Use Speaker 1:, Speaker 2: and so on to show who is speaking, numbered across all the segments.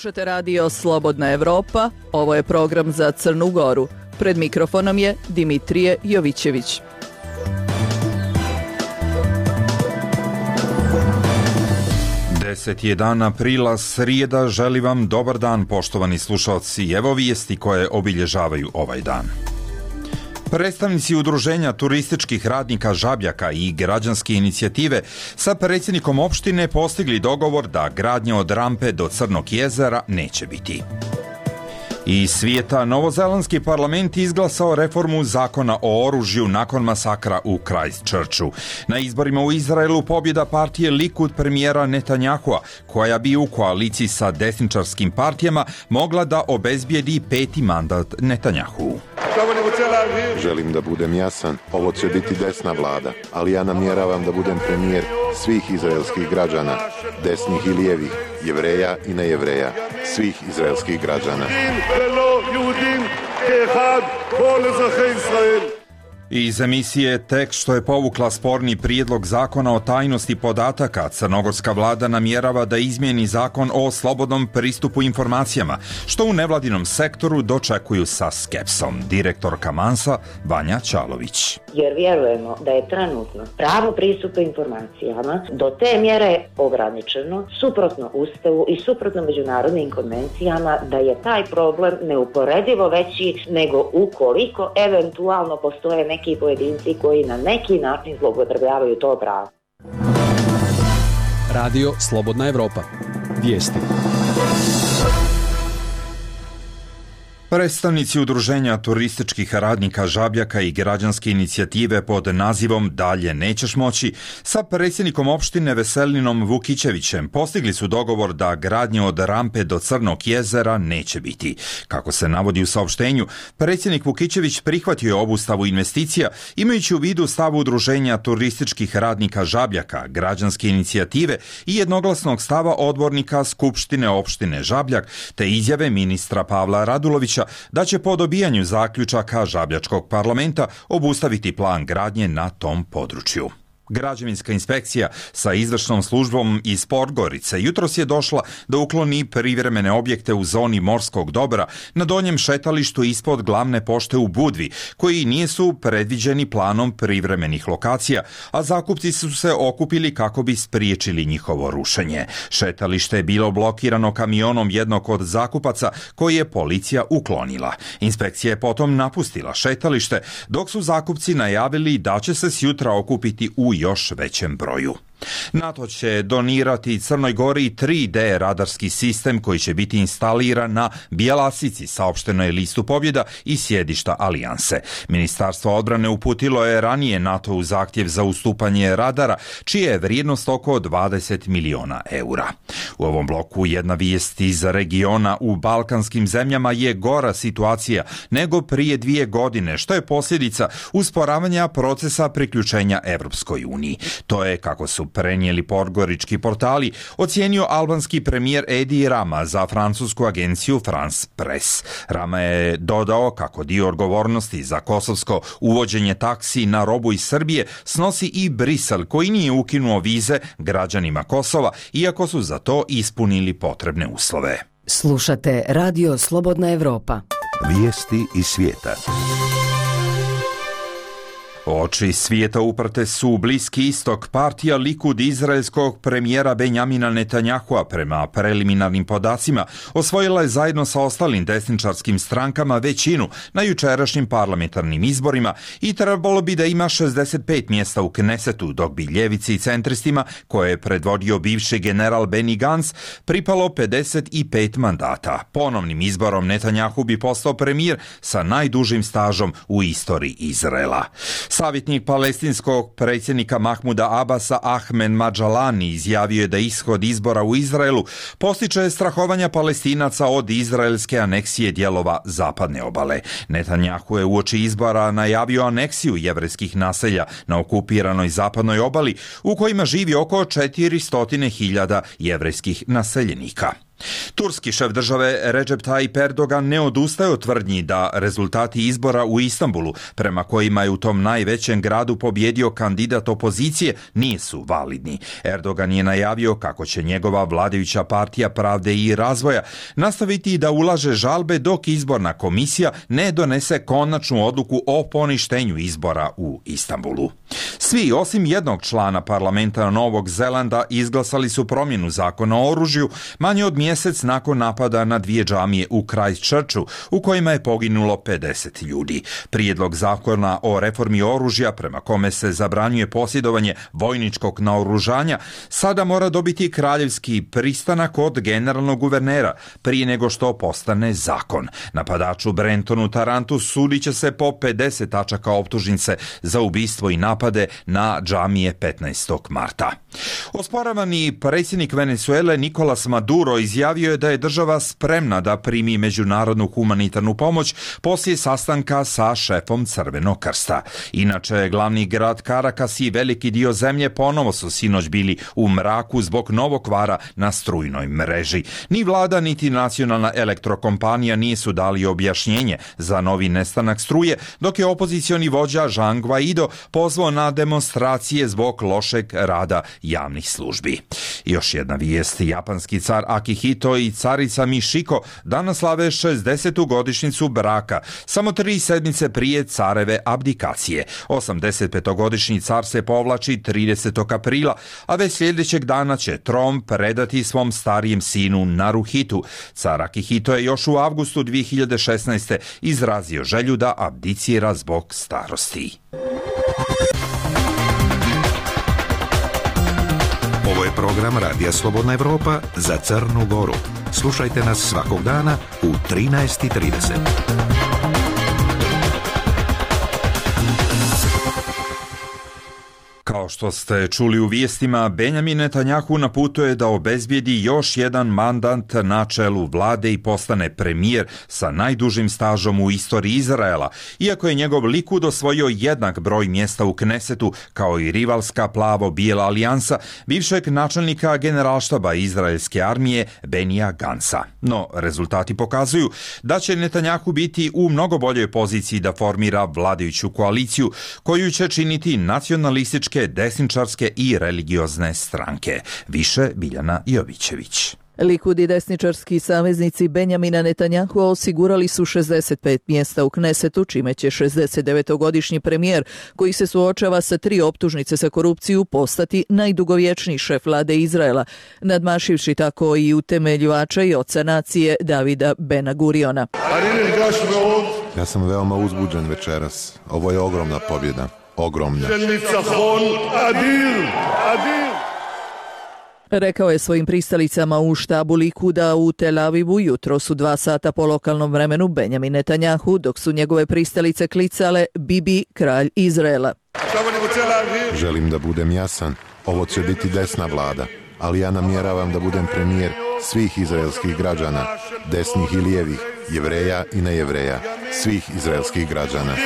Speaker 1: Slušate radio Slobodna Evropa, ovo je program za Crnu Goru. Pred mikrofonom je Dimitrije Jovićević.
Speaker 2: Deset je dan aprila, srijeda, želi vam dobar dan, poštovani slušalci. Evo vijesti koje obilježavaju ovaj dan. Predstavnici udruženja turističkih radnika Žabljaka i građanske inicijative sa predsjednikom opštine postigli dogovor da gradnje od rampe do Crnog jezera neće biti. Iz svijeta, novozelandski parlament izglasao reformu zakona o oružju nakon masakra u Christchurchu. Na izborima u Izraelu pobjeda partije Likud premijera Netanjahua, koja bi u koaliciji sa desničarskim partijama mogla da obezbijedi 5. mandat Netanjahu.
Speaker 3: Želim da budem jasan, ovo će biti desna vlada, ali ja namjeravam da budem premijer svih izraelskih građana, desnih i lijevih, Jevreja i nejevreja, svih izraelskih građana.
Speaker 2: Iz emisije Tek što je povukla sporni prijedlog zakona o tajnosti podataka, crnogorska vlada namjerava da izmijeni zakon o slobodnom pristupu informacijama, što u nevladinom sektoru dočekuju sa skepsom. Direktorka Mansa, Vanja Čalović.
Speaker 4: Jer vjerujemo da je trenutno pravo pristupa informacijama do te mjere ograničeno, suprotno Ustavu i suprotno međunarodnim konvencijama, da je taj problem neuporedivo veći nego ukoliko eventualno postoje neki pojedinci koji na neki način zloupotrebljavaju to pravo.
Speaker 5: Radio Slobodna Evropa. Vijesti.
Speaker 2: Predstavnici udruženja turističkih radnika Žabljaka i građanske inicijative pod nazivom Dalje nećeš moći sa predsjednikom opštine Veselinom Vukićevićem postigli su dogovor da gradnje od rampe do Crnog jezera neće biti. Kako se navodi u saopštenju, predsjednik Vukićević prihvatio je obustavu investicija imajući u vidu stav udruženja turističkih radnika Žabljaka, građanske inicijative i jednoglasnog stava odbornika Skupštine opštine Žabljak te izjave ministra Pavla Radulovića da će po dobijanju zaključaka Žabljačkog parlamenta obustaviti plan gradnje na tom području. Građevinska inspekcija sa izvršnom službom iz Podgorice jutros je došla da ukloni privremene objekte u zoni morskog dobra na donjem šetalištu ispod glavne pošte u Budvi, koji nisu predviđeni planom privremenih lokacija, a zakupci su se okupili kako bi spriječili njihovo rušenje. Šetalište je bilo blokirano kamionom jednog od zakupaca koji je policija uklonila. Inspekcija je potom napustila šetalište, dok su zakupci najavili da će se sjutra okupiti u još većem broju. NATO će donirati Crnoj Gori 3D radarski sistem koji će biti instaliran na Bjelasici, saopšteno je listu pobjeda i sjedišta alijanse. Ministarstvo odbrane uputilo je ranije NATO u zahtjev za ustupanje radara, čija je vrijednost oko 20 miliona eura. U ovom bloku jedna vijest iz regiona: u balkanskim zemljama je gora situacija nego prije 2 godine, što je posljedica usporavanja procesa priključenja Evropskoj uniji. To je, kako su prenijeli podgorički portali, ocijenio albanski premijer Edi Rama za francusku agenciju France Press. Rama je dodao kako dio odgovornosti za kosovsko uvođenje taksi na robu iz Srbije snosi i Brisel, koji nije ukinuo vize građanima Kosova, iako su za to ispunili potrebne uslove.
Speaker 6: Slušate Radio Slobodna Evropa.
Speaker 7: Vijesti iz svijeta.
Speaker 2: Oči svijeta uprte su u Bliski istok. Partija Likud izraelskog premijera Benjamina Netanjahua, prema preliminarnim podacima, osvojila je zajedno sa ostalim desničarskim strankama većinu na jučerašnjim parlamentarnim izborima i trebalo bi da ima 65 mjesta u Knesetu, dok bi ljevici i centristima, koje je predvodio bivši general Benny Gantz, pripalo 55 mandata. Ponovnim izborom Netanjahu bi postao premijer sa najdužim stažom u istoriji Izraela. Savjetnik palestinskog predsjednika Mahmuda Abasa Ahmed Madžalani izjavio je da ishod izbora u Izraelu postiče strahovanja Palestinaca od izraelske aneksije dijelova zapadne obale. Netanjahu je uoči izbora najavio aneksiju jevrejskih naselja na okupiranoj zapadnoj obali, u kojima živi oko 400.000 jevrejskih naseljenika. Turski šef države Recep Tayyip Erdogan ne odustaje od tvrdnji da rezultati izbora u Istanbulu, prema kojima je u tom najvećem gradu pobjedio kandidat opozicije, nisu validni. Erdogan je najavio kako će njegova vladajuća partija Pravde i razvoja nastaviti da ulaže žalbe dok izborna komisija ne donese konačnu odluku o poništenju izbora u Istanbulu. Svi, osim jednog člana parlamenta Novog Zelanda, izglasali su promjenu zakona o oružju manje od mjesec nakon napada na 2 džamije u Christchurchu, u kojima je poginulo 50 ljudi. Prijedlog zakona o reformi oružja, prema kome se zabranjuje posjedovanje vojničkog naoružanja, sada mora dobiti kraljevski pristanak od generalnog guvernera prije nego što postane zakon. Napadaču Brentonu Tarantu sudit će se po 50 tačaka optužnice za ubistvo i napade na džamije 15. marta. Osporavani predsjednik Venezuele Nicolas Maduro izjavio je da je država spremna da primi međunarodnu humanitarnu pomoć poslije sastanka sa šefom Crvenog krsta. Inače, glavni grad Caracas i veliki dio zemlje ponovo su sinoć bili u mraku zbog novog kvara na strujnoj mreži. Ni vlada niti nacionalna elektrokompanija nisu dali objašnjenje za novi nestanak struje, dok je opozicioni vođa Juan Guaido pozvao na demonstracije zbog lošeg rada javnih službi. Još jedna vijest, japanski car Akihito i carica Michiko danas slave 60. godišnjicu braka, samo 3 sedmice prije careve abdikacije. 85-godišnji car se povlači 30. aprila, a već sljedećeg dana će tron predati svom starijem sinu Naruhitu. Car Akihito je još u avgustu 2016. izrazio želju da abdicira zbog starosti.
Speaker 7: Ovo je program Radija Slobodna Evropa za Crnu Goru. Slušajte nas svakog dana u 13:30.
Speaker 2: Kao što ste čuli u vijestima, Benjamin Netanjahu na putu je da obezbijedi još jedan mandat na čelu vlade i postane premijer sa najdužim stažom u istoriji Izraela, iako je njegov Likud osvojio jednak broj mjesta u Knesetu, kao i rivalska plavo-bijela alijansa bivšeg načelnika generalštaba izraelske armije Benija Gansa. No, rezultati pokazuju da će Netanjahu biti u mnogo boljoj poziciji da formira vladajuću koaliciju, koju će činiti nacionalističke, desničarske i religiozne stranke. Više Biljana Jovićević.
Speaker 1: Likud i desničarski saveznici Benjamina Netanjahua osigurali su 65 mjesta u Knesetu, čime će 69-godišnji premijer, koji se suočava sa 3 optužnice za korupciju, postati najdugovječniji šef vlade Izraela, nadmašivši tako i utemeljivača i oca nacije Davida Bena Guriona.
Speaker 3: Ja sam veoma uzbuđen večeras. Ovo je ogromna pobjeda. Ogromna.
Speaker 1: Rekao je svojim pristalicama u štabu Likuda u Tel Avivu jutros u 2 sata po lokalnom vremenu Benjamin Netanjahu, dok su njegove pristalice klicale Bibi, kralj Izraela.
Speaker 3: Želim da budem jasan. Ovo će biti desna vlada, ali ja namjeravam da budem premijer svih izraelskih građana, desnih i lijevih, Jevreja i nejevreja, svih izraelskih građana.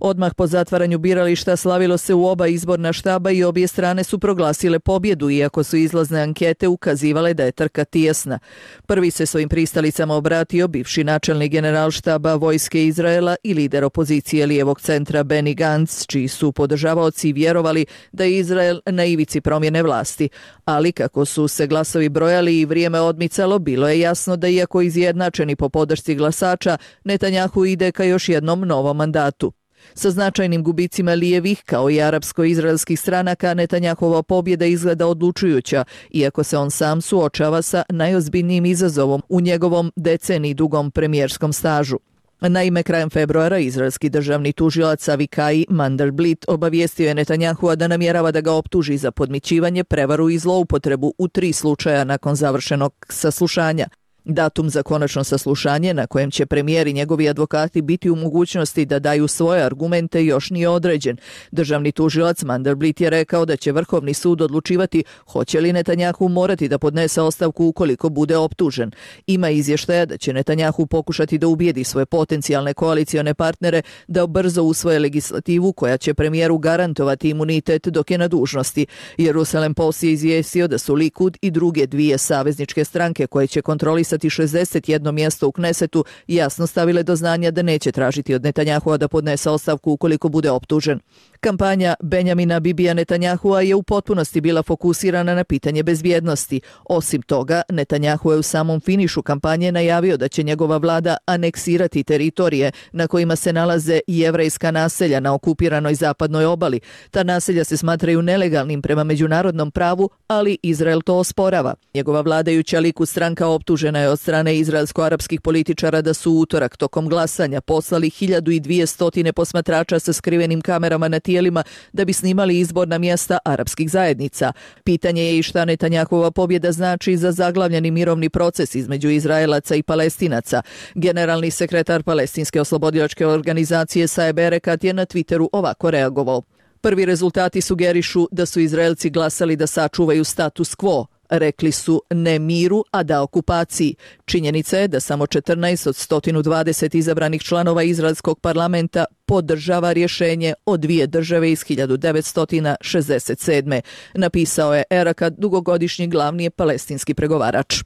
Speaker 1: Odmah po zatvaranju birališta slavilo se u oba izborna štaba i obje strane su proglasile pobjedu, iako su izlazne ankete ukazivale da je trka tijesna. Prvi se svojim pristalicama obratio bivši načelnik generalštaba vojske Izraela i lider opozicije lijevog centra Benny Gantz, čiji su podržavaoci vjerovali da je Izrael na ivici promjene vlasti. Ali kako su se glasovi brojali i vrijeme odmicalo, bilo je jasno da iako izjednačeni po podršci glasača, Netanjahu ide ka još jednom novom mandatu. Sa značajnim gubicima lijevih, kao i arapsko-izraelskih stranaka, Netanjahova pobjeda izgleda odlučujuća, iako se on sam suočava sa najozbiljnijim izazovom u njegovom deceniji dugom premijerskom stažu. Naime, krajem februara izraelski državni tužilac Avikai Mandelblit obavijestio je Netanjahua da namjerava da ga optuži za podmićivanje, prevaru i zloupotrebu u 3 slučaja nakon završenog saslušanja. Datum za konačno saslušanje na kojem će premijer i njegovi advokati biti u mogućnosti da daju svoje argumente još nije određen. Državni tužilac Mandelblit je rekao da će Vrhovni sud odlučivati hoće li Netanjahu morati da podnese ostavku ukoliko bude optužen. Ima izvještaja da će Netanjahu pokušati da ubijedi svoje potencijalne koalicione partnere da brzo usvoje legislativu koja će premijeru garantovati imunitet dok je na dužnosti. Jerusalem Post je izvijestio da su Likud i druge dvije savezničke stranke koje će kontrolisati 61 mjesto u Knesetu jasno stavile do znanja da neće tražiti od Netanjahua da podnese ostavku ukoliko bude optužen. Kampanja Benjamina Bibija Netanjahua je u potpunosti bila fokusirana na pitanje bezbjednosti. Osim toga, Netanjahu je u samom finišu kampanje najavio da će njegova vlada aneksirati teritorije na kojima se nalaze jevrejska naselja na okupiranoj zapadnoj obali. Ta naselja se smatraju nelegalnim prema međunarodnom pravu, ali Izrael to osporava. Njegova vladajuća Likud stranka optužena je od strane izraelsko-arapskih političara da su u utorak tokom glasanja poslali 1200 posmatrača sa skrivenim kamerama na tijelima da bi snimali izborna mjesta arapskih zajednica. Pitanje je i šta Netanjahova pobjeda znači za zaglavljeni mirovni proces između Izraelaca i Palestinaca. Generalni sekretar Palestinske oslobodilačke organizacije Saeb Erekat je na Twitteru ovako reagovao. Prvi rezultati sugerišu da su Izraelci glasali da sačuvaju status quo. Rekli su ne miru, a da okupaciji. Činjenica je da samo 14 od 120 izabranih članova izraelskog parlamenta podržava rješenje o dvije države iz 1967. Napisao je Erekat, dugogodišnji glavni palestinski pregovarač.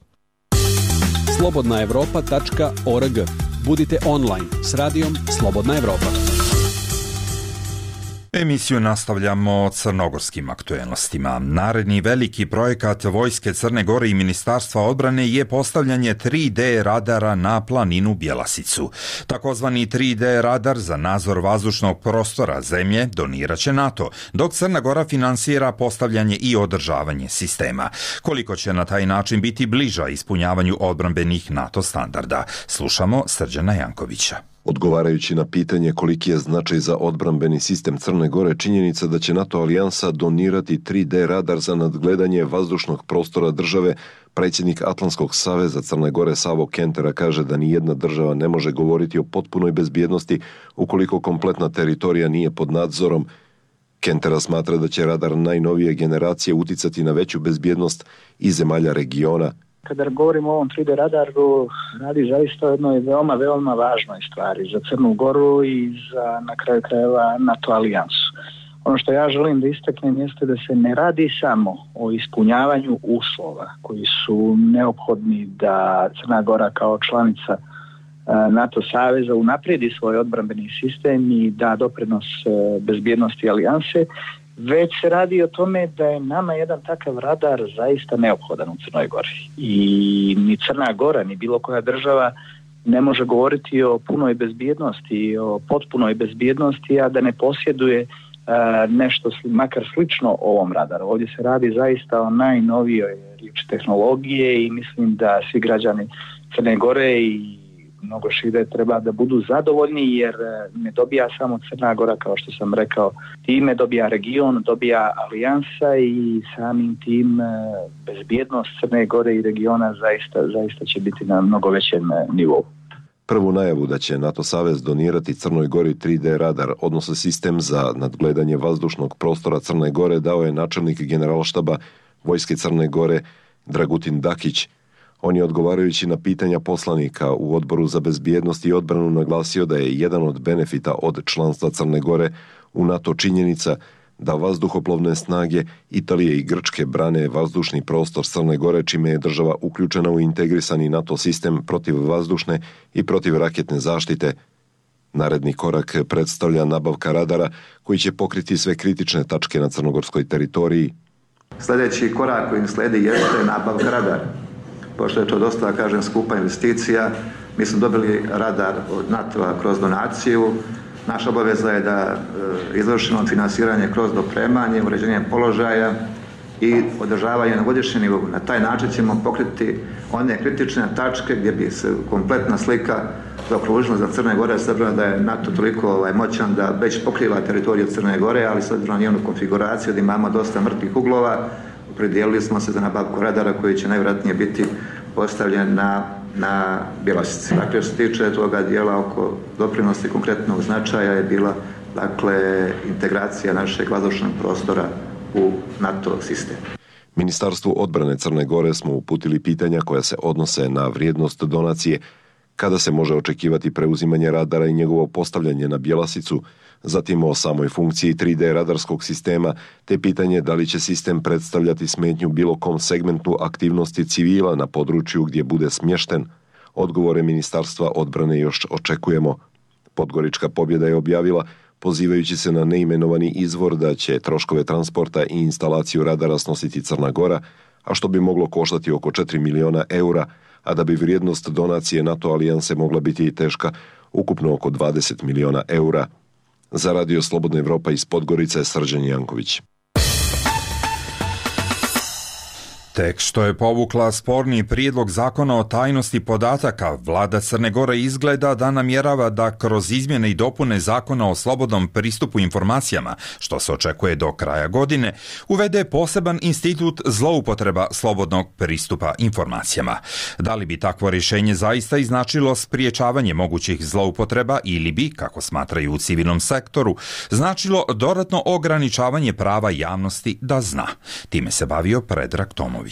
Speaker 5: slobodnaevropa.org. Budite online s radijom Slobodna Evropa.
Speaker 2: Emisiju nastavljamo crnogorskim aktuelnostima. Naredni veliki projekat Vojske Crne Gore i Ministarstva odbrane je postavljanje 3D radara na planinu Bjelasicu. Takozvani 3D radar za nadzor vazdušnog prostora zemlje donirat će NATO, dok Crna Gora finansira postavljanje i održavanje sistema. Koliko će na taj način biti bliža ispunjavanju odbrambenih NATO standarda? Slušamo Srđana Jankovića.
Speaker 8: Odgovarajući na pitanje koliki je značaj za odbrambeni sistem Crne Gore, činjenica da će NATO alijansa donirati 3D radar za nadgledanje vazdušnog prostora države, predsjednik Atlantskog saveza Crne Gore Savo Kentera kaže da ni jedna država ne može govoriti o potpunoj bezbjednosti ukoliko kompletna teritorija nije pod nadzorom. Kentera smatra da će radar najnovije generacije uticati na veću bezbjednost i zemalja regiona.
Speaker 9: Kada govorimo o ovom 3D radaru, radi zaista o jednoj veoma važnoj stvari za Crnu Goru i za, na kraju krajeva, NATO alijansu. Ono što ja želim da istaknem jeste da se ne radi samo o ispunjavanju uslova koji su neophodni da Crna Gora kao članica NATO saveza unaprijedi svoj odbrambeni sistem i da doprinos bezbjednosti alijanse, već se radi o tome da je nama jedan takav radar zaista neophodan u Crnoj Gori. I ni Crna Gora, ni bilo koja država ne može govoriti o punoj bezbjednosti, o potpunoj bezbjednosti, a da ne posjeduje nešto makar slično ovom radaru. Ovdje se radi zaista o najnovijoj riječi tehnologije i mislim da svi građani Crne Gore i mnogo šire treba da budu zadovoljni, jer ne dobija samo Crna Gora, kao što sam rekao, time dobija region, dobija alijansa i samim tim bezbjednost Crne Gore i regiona zaista će biti na mnogo većem nivou.
Speaker 8: Prvu najavu da će NATO savez donirati Crnoj Gori 3D radar, odnosno sistem za nadgledanje vazdušnog prostora Crne Gore, dao je načelnik generalštaba Vojske Crne Gore Dragutin Dakić. On je, odgovarajući na pitanja poslanika u Odboru za bezbjednost i odbranu, naglasio da je jedan od benefita od članstva Crne Gore u NATO činjenica da vazduhoplovne snage Italije i Grčke brane vazdušni prostor Crne Gore, čime je država uključena u integrisani NATO sistem protiv vazdušne i protiv raketne zaštite. Naredni korak predstavlja nabavka radara koji će pokriti sve kritične tačke na crnogorskoj teritoriji.
Speaker 10: Sljedeći korak koji slijedi jeste nabavka radara. Pošto je to dosta, skupa investicija, mi smo dobili radar od NATO-a kroz donaciju. Naša obaveza je da izvršimo finansiranje kroz dopremanje, uređenje položaja i održavanje na godišnjem nivou. Na taj način ćemo pokriti one kritične tačke gdje bi se kompletna slika zaokružila za Crne Gore, s obzirom da je NATO toliko moćan da već pokriva teritoriju Crne Gore, ali s obzirom na njenu konfiguraciju da imamo dosta mrtvih uglova, opredijelili smo se za nabavku radara koji će najvjerojatnije biti postavljen na na Bjelasici. Dakle, što se tiče toga dijela oko doprinosti konkretnog značaja je bila integracija našeg vazdušnog prostora u NATO sistem.
Speaker 8: Ministarstvu odbrane Crne Gore smo uputili pitanja koja se odnose na vrijednost donacije, kada se može očekivati preuzimanje radara i njegovo postavljanje na Bjelasicu, zatim o samoj funkciji 3D radarskog sistema, te pitanje da li će sistem predstavljati smetnju bilo kom segmentu aktivnosti civila na području gdje bude smješten. Odgovore Ministarstva odbrane još očekujemo. Podgorička pobjeda je objavila, pozivajući se na neimenovani izvor, da će troškove transporta i instalaciju radara snositi Crna Gora, a što bi moglo koštati oko 4 miliona eura, a da bi vrijednost donacije NATO alijanse mogla biti i teška ukupno oko 20 miliona eura. Za Radio Slobodna Evropa iz Podgorice, Srđan Janković.
Speaker 2: Tek što je povukla sporni prijedlog zakona o tajnosti podataka, vlada Crne Gore izgleda da namjerava da kroz izmjene i dopune zakona o slobodnom pristupu informacijama, što se očekuje do kraja godine, uvede poseban institut zloupotreba slobodnog pristupa informacijama. Da li bi takvo rješenje zaista i značilo spriječavanje mogućih zloupotreba ili bi, kako smatraju u civilnom sektoru, značilo dodatno ograničavanje prava javnosti da zna? Time se bavio Predrag Tomović.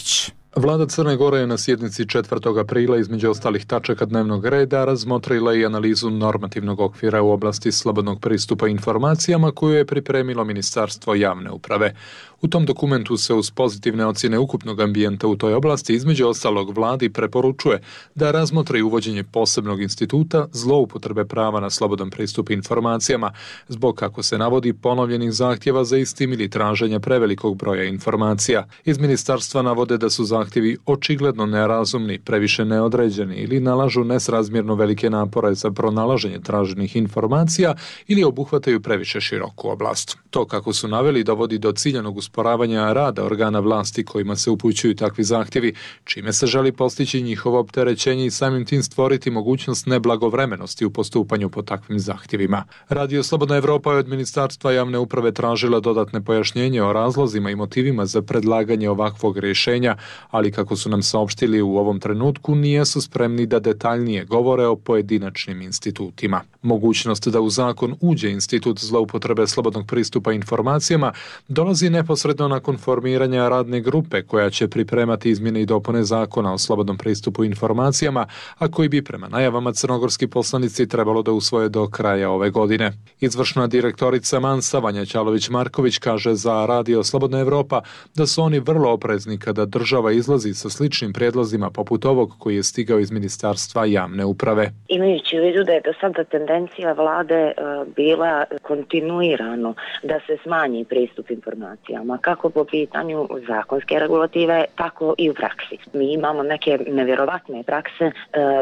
Speaker 11: Vlada Crne Gore je na sjednici 4. aprila između ostalih tačaka dnevnog reda razmotrila i analizu normativnog okvira u oblasti slobodnog pristupa informacijama koju je pripremilo Ministarstvo javne uprave. U tom dokumentu se uz pozitivne ocjene ukupnog ambijenta u toj oblasti između ostalog vladi preporučuje da razmotri uvođenje posebnog instituta zloupotrebe prava na slobodan pristup informacijama zbog, kako se navodi, ponovljenih zahtjeva za istim ili traženja prevelikog broja informacija. Iz ministarstva navode da su zahtjevi očigledno nerazumni, previše neodređeni ili nalažu nesrazmjerno velike napore za pronalaženje traženih informacija ili obuhvataju previše široku oblast. To, kako su naveli, dovodi do ciljanog usporavanja rada organa vlasti kojima se upućuju takvi zahtjevi, čime se želi postići njihovo opterećenje i samim tim stvoriti mogućnost neblagovremenosti u postupanju po takvim zahtjevima. Radio Slobodna Evropa je od Ministarstva javne uprave tražila dodatne pojašnjenje o razlozima i motivima za predlaganje ovakvog rješenja, ali kako su nam saopštili u ovom trenutku nisu spremni da detaljnije govore o pojedinačnim institutima. Mogućnost da u zakon uđe institut zloupotrebe slobodnog pristupa informacijama dolazi neposredno nakon formiranja radne grupe koja će pripremati izmjene i dopune zakona o slobodnom pristupu informacijama, a koji bi prema najavama crnogorski poslanici trebalo da usvoje do kraja ove godine. Izvršna direktorica Mansa Vanja Ćalović-Marković kaže za Radio Slobodna Evropa da su oni vrlo oprezni kada država izlazi sa sličnim prijedlozima poput ovog koji je stigao iz Ministarstva javne uprave.
Speaker 4: Imajući u vidu da je do sada tendencija vlade bila kontinuirano da se smanji pristup informacijama, kako po pitanju zakonske regulative, tako i u praksi. Mi imamo neke nevjerovatne prakse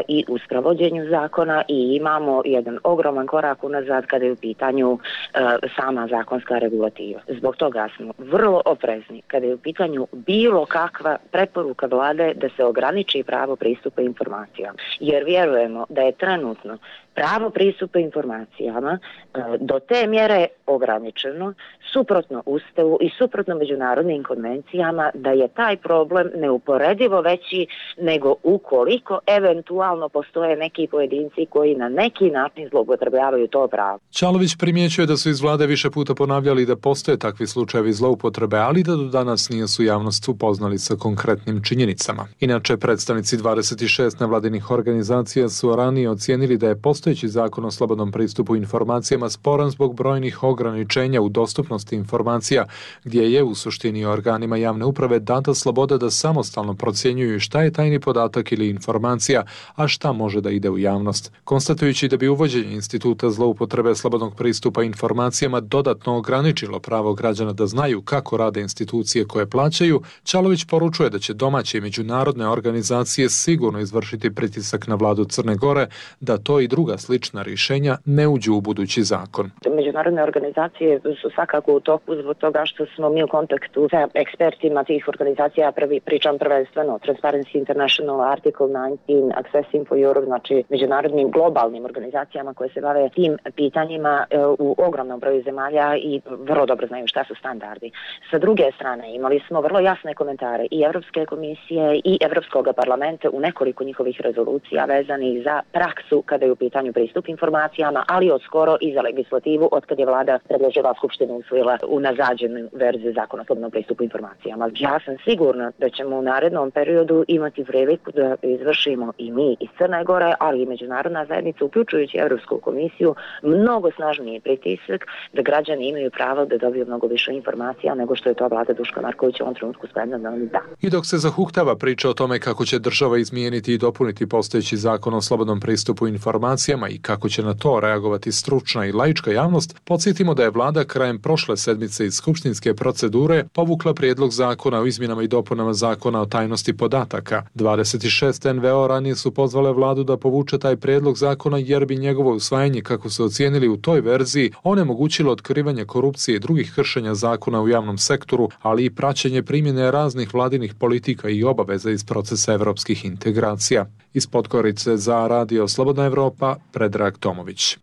Speaker 4: i u sprovođenju zakona i imamo jedan ogroman korak unazad kada je u pitanju sama zakonska regulativa. Zbog toga smo vrlo oprezni kada je u pitanju bilo kakva preporuka vlade da se ograniči pravo pristupa informacijama. Jer vjerujemo da je trenutno pravo pristupa informacijama do te mjere ograničeno, suprotno Ustavu i suprotno međunarodnim konvencijama, da je taj problem neuporedivo veći nego ukoliko eventualno postoje neki pojedinci koji na neki način zloupotrebljavaju to pravo.
Speaker 11: Ćalović primjećuje da su iz vlade više puta ponavljali da postoje takvi slučajevi zloupotrebe, ali da do danas nisu javnost upoznali sa konkretnim činjenicama. Inače, predstavnici 26 nevladinih organizacija su ranije ocijenili da je postojeći zakon o slobodnom pristupu informacijama sporan zbog brojnih ograničenja u dostupnosti informacija, gdje je u suštini organima javne uprave data sloboda da samostalno procjenjuju šta je tajni podatak ili informacija, a šta može da ide u javnost. Konstatujući da bi uvođenje instituta zloupotrebe slobodnog pristupa informacijama dodatno ograničilo pravo građana da znaju kako rade institucije koje plaćaju, Ćalović poručuje da će domaće i međunarodne organizacije sigurno izvršiti pritisak na vladu Crne Gore da to i druga da slična rješenja ne uđu u budući zakon.
Speaker 4: Međunarodne organizacije su svakako u toku zbog toga što smo mi u kontaktu sa ekspertima tih organizacija, pričam prvenstveno Transparency International, Article 19, Accessing for Europe, znači međunarodnim globalnim organizacijama koje se bave tim pitanjima u ogromnom broju zemalja i vrlo dobro znaju šta su standardi. Sa druge strane imali smo vrlo jasne komentare i Europske komisije i Europskog parlamenta u nekoliko njihovih rezolucija vezanih za praksu kada je u pitanju pristup informacijama, ali od skoro i za legislativu od kad je vlada predložila, Skupština usvojila unazađenu verziju zakona o slobodnom pristupu informacijama. Ja sam sigurna da ćemo u narednom periodu imati priliku da izvršimo i mi iz Crne Gore, ali i međunarodna zajednica, uključujući Europsku komisiju, mnogo snažniji pritisak da građani imaju pravo da dobiju mnogo više informacija nego što je to vlada Duška Markovića u ovom trenutku spremna da nam da.
Speaker 11: I dok se zahuktava priča o tome kako će država izmijeniti i dopuniti postojeći zakon o slobodnom pristupu informacijama i kako će na to reagovati stručna i laička javnost, podsjetimo da je vlada krajem prošle sedmice iz skupštinske procedure povukla prijedlog zakona o izmjenama i dopunama zakona o tajnosti podataka. 26 NVO ranije su pozvale vladu da povuče taj prijedlog zakona jer bi njegovo usvajanje, kako su ocijenili u toj verziji, onemogućilo otkrivanje korupcije i drugih kršenja zakona u javnom sektoru, ali i praćenje primjene raznih vladinih politika i obaveza iz procesa evropskih integracija. Iz Podgorice za Radio Slobodna Evropa, Predrag Tomović.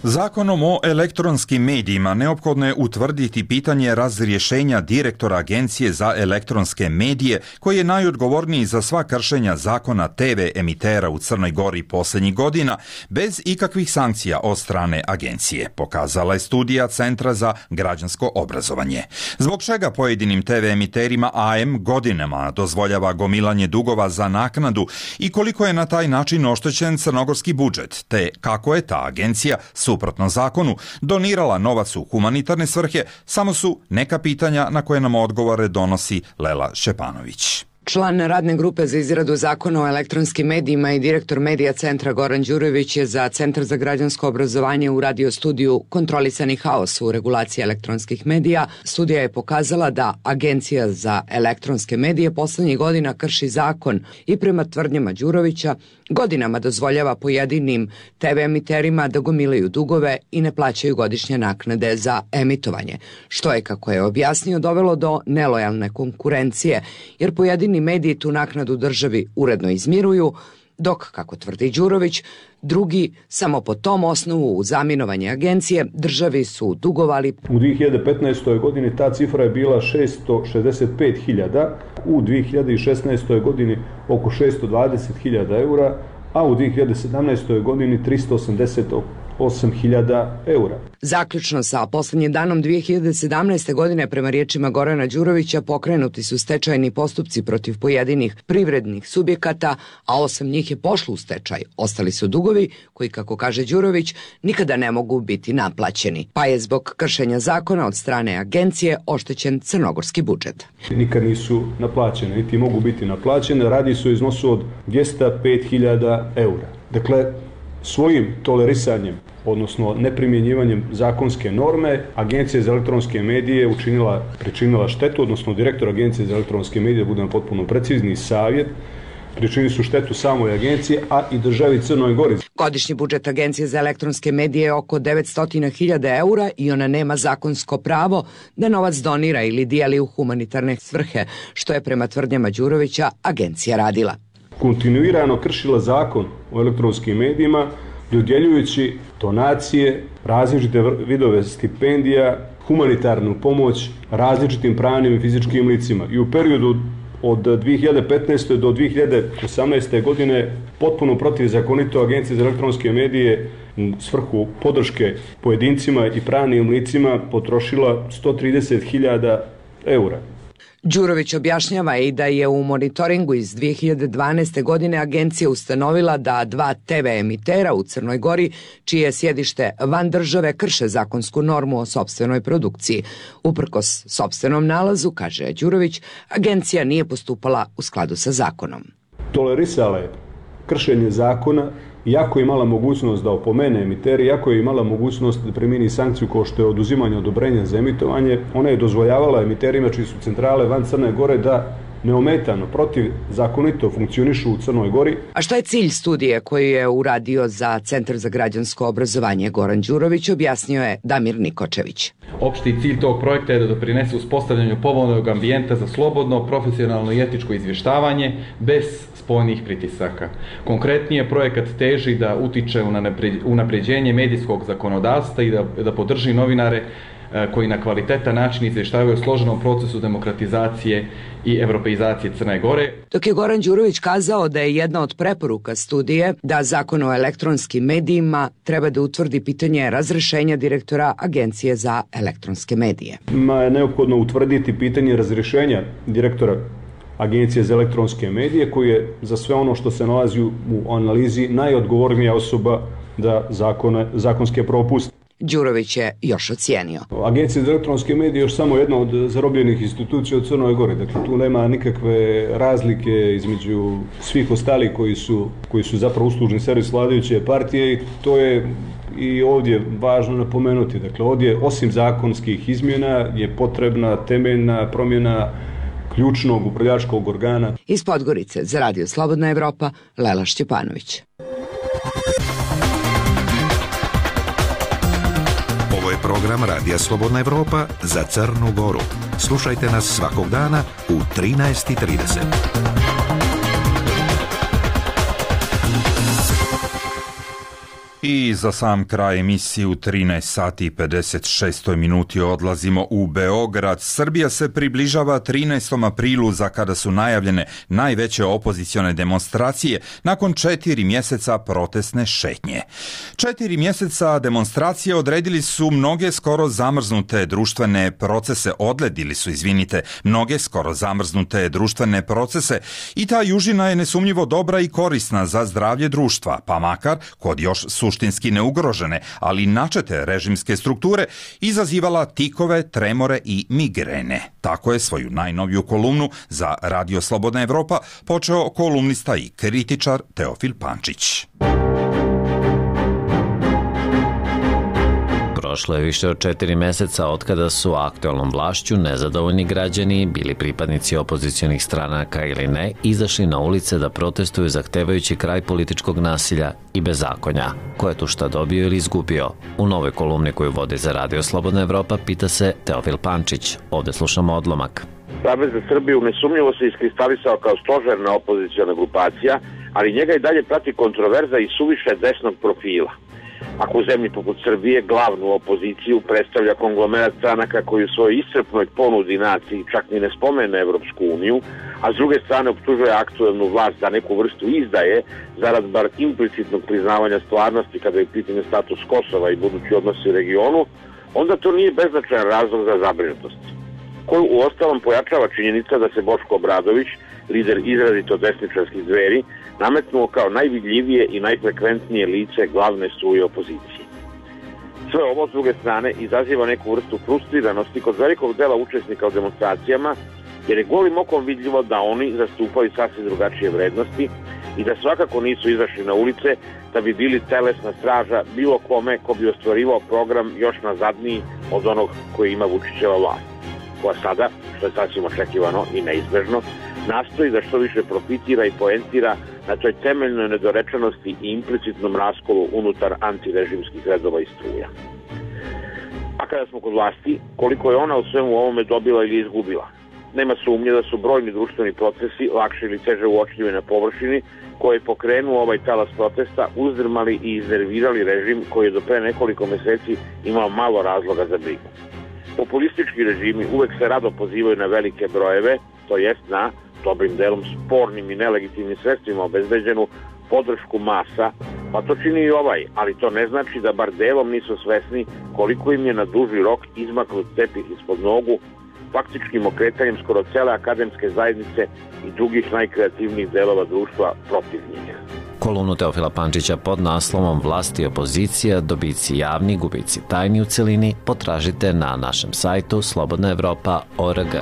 Speaker 2: Zakonom o elektronskim medijima neophodno je utvrditi pitanje razrješenja direktora Agencije za elektronske medije, koji je najodgovorniji za sva kršenja zakona TV emitera u Crnoj Gori posljednjih godina, bez ikakvih sankcija od strane agencije, pokazala je studija Centra za građansko obrazovanje. Zbog čega pojedinim TV emiterima AM godinama dozvoljava gomilanje dugova za naknadu i koliko je na taj način oštećen crnogorski budžet, te kako je ta agencija suprotno zakonu donirala novac u humanitarne svrhe, samo su neka pitanja na koje nam odgovore donosi Lela Šćepanović.
Speaker 12: Član radne grupe za izradu zakona o elektronskim medijima i direktor medija centra Goran Đurović je za Centar za građansko obrazovanje u radio studiju Kontrolisani haos u regulaciji elektronskih medija. Studija je pokazala da Agencija za elektronske medije poslednjih godina krši zakon i prema tvrdnjama Đurovića godinama dozvoljava pojedinim TV emiterima da gomilaju dugove i ne plaćaju godišnje naknade za emitovanje, što je, kako je objasnio, dovelo do nelojalne konkurencije, jer pojedini mediji tu naknadu državi uredno izmiruju, dok, kako tvrdi Đurović, drugi samo po tom osnovu u zaminovanje agencije državi su dugovali.
Speaker 13: U 2015. godini ta cifra je bila 665.000, u 2016. godini oko 620.000 eura, a u 2017. godini 388.000 eura.
Speaker 12: Zaključno sa poslednjim danom 2017. godine, prema riječima Gorana Đurovića, pokrenuti su stečajni postupci protiv pojedinih privrednih subjekata, a 8 njih je pošlo u stečaj. Ostali su dugovi koji, kako kaže Đurović, nikada ne mogu biti naplaćeni, pa je zbog kršenja zakona od strane agencije oštećen crnogorski budžet.
Speaker 13: Nikad nisu naplaćene, niti mogu biti naplaćene, radi se o iznosu od 205.000 eura. Dakle, svojim tolerisanjem, odnosno neprimjenjivanjem zakonske norme, Agencija za elektronske medije pričinila štetu, odnosno direktor Agencije za elektronske medije, da budemo potpuno precizni, savjet, pričinili su štetu samoj agenciji, a i državi Crnoj Gori.
Speaker 12: Godišnji budžet Agencije za elektronske medije je oko 900.000 eura i ona nema zakonsko pravo da novac donira ili dijeli u humanitarne svrhe, što je prema tvrdnjama Đurovića agencija radila.
Speaker 13: Kontinuirano kršila zakon o elektronskim medijima, dodjeljujući donacije, različite vidove stipendija, humanitarnu pomoć različitim pravnim i fizičkim licima. I u periodu od 2015. do 2018. godine potpuno protivzakonito Agencija za elektronske medije u svrhu podrške pojedincima i pravnim licima potrošila 130.000 eura.
Speaker 12: Đurović objašnjava i da je u monitoringu iz 2012. godine agencija ustanovila da 2 TV emitera u Crnoj Gori, čije je sjedište van države, krše zakonsku normu o sopstvenoj produkciji. Uprkos sopstvenom nalazu, kaže Đurović, agencija nije postupala u skladu sa zakonom.
Speaker 13: Tolerisala je kršenje zakona, iako je imala mogućnost da opomene emiteri, iako je imala mogućnost da primjeni sankciju kao što je oduzimanje odobrenja za emitovanje, ona je dozvoljavala emiterima čiji su centrale van Crne Gore da neometano, protivzakonito funkcionišu u Crnoj Gori.
Speaker 12: A šta je cilj studije koju je uradio za Centar za građansko obrazovanje Goran Đurović, objasnio je Damir Nikočević.
Speaker 14: Opšti cilj tog projekta je da doprinese uspostavljanju povoljnog ambijenta za slobodno, profesionalno i etičko izvještavanje bez spoljnih pritisaka. Konkretnije, projekat teži da utiče u unapređenje medijskog zakonodavstva i da podrži novinare koji na kvalitetan način izvještavaju o složenom procesu demokratizacije i evropeizacije Crne Gore.
Speaker 12: Dok je Goran Đurović kazao da je jedna od preporuka studije da Zakon o elektronskim medijima treba da utvrdi pitanje razrešenja direktora Agencije za elektronske medije.
Speaker 13: Je neophodno utvrditi pitanje razrešenja direktora Agencije za elektronske medije, koji je za sve ono što se nalazi u analizi najodgovornija osoba da zakonske propuste.
Speaker 12: Đurović je još ocijenio.
Speaker 13: Agencija za elektronske medije je još samo jedna od zarobljenih institucija u Crnoj Gori. Dakle, tu nema nikakve razlike između svih ostalih koji su zapravo uslužni servis vladajuće partije i to je i ovdje važno napomenuti. Dakle, ovdje osim zakonskih izmjena je potrebna temeljna promjena ključnog upravljačkog organa.
Speaker 12: Iz Podgorice za Radio Slobodna Evropa, Lela Šćepanović.
Speaker 7: Ovo je program Radija Slobodna Evropa za Crnu Goru. Slušajte nas svakog dana u 13:30.
Speaker 2: I za sam kraj emisije u 13 sati i 56 minuti odlazimo u Beograd. Srbija se približava 13. aprilu za kada su najavljene najveće opozicione demonstracije nakon 4 mjeseca protestne šetnje. 4 mjeseca demonstracije odredili su mnoge skoro zamrznute društvene procese, mnoge skoro zamrznute društvene procese i ta južina je nesumnjivo dobra i korisna za zdravlje društva, pa makar kod još suštinski neugrožene, ali načete režimske strukture izazivala tikove, tremore i migrene. Tako je svoju najnoviju kolumnu za Radio Slobodna Evropa počeo kolumnista i kritičar Teofil Pančić.
Speaker 15: Prošlo je više od 4 mjeseca otkada su aktualnom vlašću nezadovoljni građani, bili pripadnici opozicionih stranaka ili ne, izašli na ulice da protestuju zahtevajući kraj političkog nasilja i bezakonja. Ko je tu šta dobio ili izgubio? U novoj kolumni koju vodi za Radio Slobodna Evropa pita se Teofil Pančić. Ovdje slušamo odlomak.
Speaker 16: Savez za Srbiju nesumnjivo se iskristalisao kao stožerna opoziciona grupacija, ali njega i dalje prati kontroverza i suviše desnog profila. Ako u zemlji poput Srbije glavnu opoziciju predstavlja konglomerat stranaka koji u svojoj iscrpnoj ponudi naciji čak ni ne spomene Evropsku uniju, a s druge strane optužuje aktuelnu vlast za neku vrstu izdaje zarad bar implicitnog priznavanja stvarnosti kada je pitanje status Kosova i budući odnosi u regionu, onda to nije beznačajan razlog za zabrinutost. Koju uostalom pojačava činjenica da se Boško Obradović, lider izrazito desničarskih Dveri, nametnuo kao najvidljivije i najfrekventnije lice glavne struje opozicije. Sve ovo, s druge strane, izaziva neku vrstu frustriranosti kod velikog dela učesnika u demonstracijama, jer je golim okom vidljivo da oni zastupaju sasvim drugačije vrednosti i da svakako nisu izašli na ulice da bi bili telesna straža bilo kome ko bi ostvarivao program još nazadniji od onog koji ima Vučićeva vlast, koja sada, što je sasvim očekivano i neizbežno, nastoji da što više profitira i poentira na toj temeljnoj nedorečenosti i implicitnom raskolu unutar antirežimskih redova i struja. A kada smo kod vlasti, koliko je ona u svemu ovome dobila ili izgubila? Nema sumnje da su brojni društveni procesi, lakše ili teže uočljivi na površini, koji je pokrenuo ovaj talas protesta, uzdrmali i iznervirali režim koji je do pre nekoliko mjeseci imao malo razloga za brigu. Populistički režimi uvek se rado pozivaju na velike brojeve, to jest na dobrim delom spornim i nelegitimnim sredstvima obezbeđenu podršku masa, pa to čini i ovaj, ali to ne znači da bar delom nisu svesni koliko im je na duži rok izmaknut tepih ispod nogu, faktičkim okretanjem skoro cele akademske zajednice i drugih najkreativnijih delova društva protiv njih.
Speaker 15: Kolumnu Teofila Pančića pod naslovom Vlast i opozicija, dobici javni, gubici tajni u celini potražite na našem sajtu slobodnaevropa.org.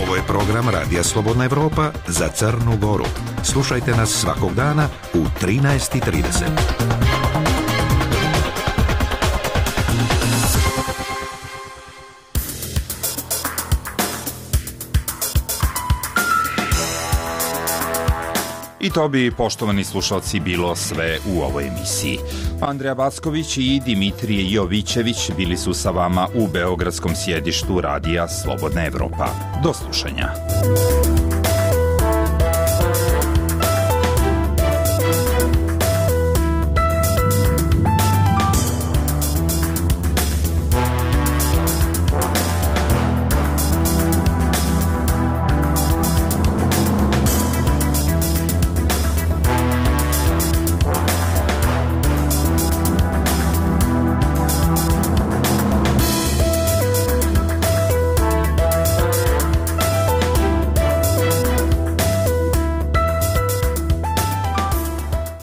Speaker 7: Ovo je program Radija Slobodna Evropa za Crnu Goru. Slušajte nas svakog dana u 13:30.
Speaker 2: to bi, poštovani slušalci, bilo sve u ovoj emisiji. Andreja Backović i Dimitrije Jovićević bili su sa vama u beogradskom sjedištu Radija Slobodna Evropa. Do slušanja.